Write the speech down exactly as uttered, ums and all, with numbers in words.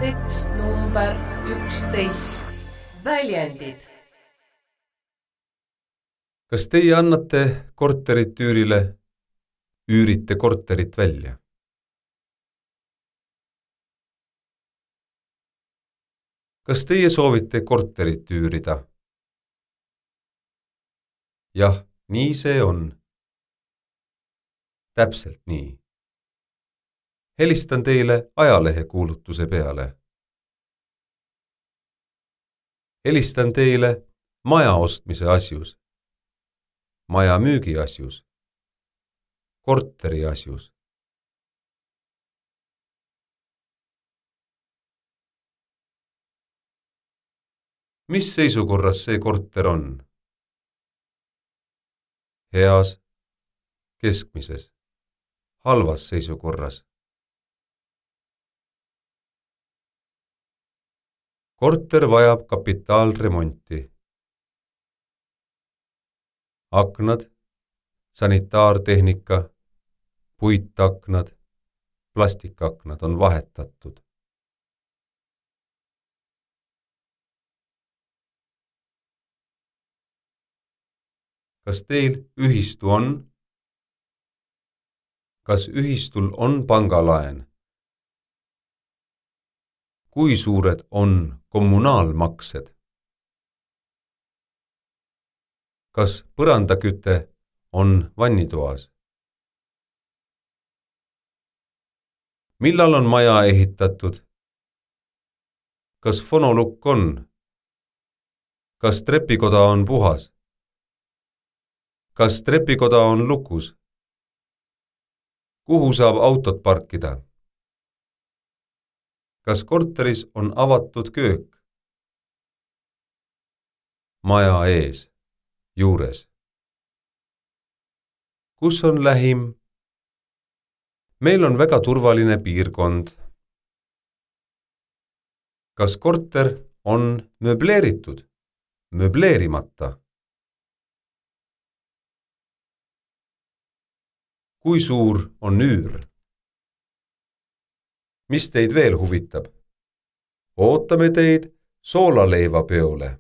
tekst number üksteist. Väljendid. Kas teie annate korterit üürile, üürite korterit välja? Kas teie soovite korterit üürida? Jah, nii see on. Täpselt nii. Helistan teile ajalehe kuulutuse peale. Helistan teile maja ostmise asjus, maja müügi asjus, korteri asjus. Mis seisukorras see korter on? Heas, keskmises, halvas seisukorras. Korter vajab kapitaalremonti. Aknad, sanitaartehnika, puitaknad, plastikaknad on vahetatud. Kas teil ühistu on? Kas ühistul on pangalaen? Kui suured on kommunaalmaksed? Kas põrandaküte on vannitoas? Millal on maja ehitatud? Kas fonolukk on? Kas trepikoda on puhas? Kas trepikoda on lukus? Kuhu saab autot parkida? Kas korteris on avatud köök? Maja ees, juures. Kus on lähim? Meil on väga turvaline piirkond. Kas korter on möbleeritud, möbleerimata? Kui suur on üür? Mis teid veel huvitab? Ootame teid soolaleivapeole.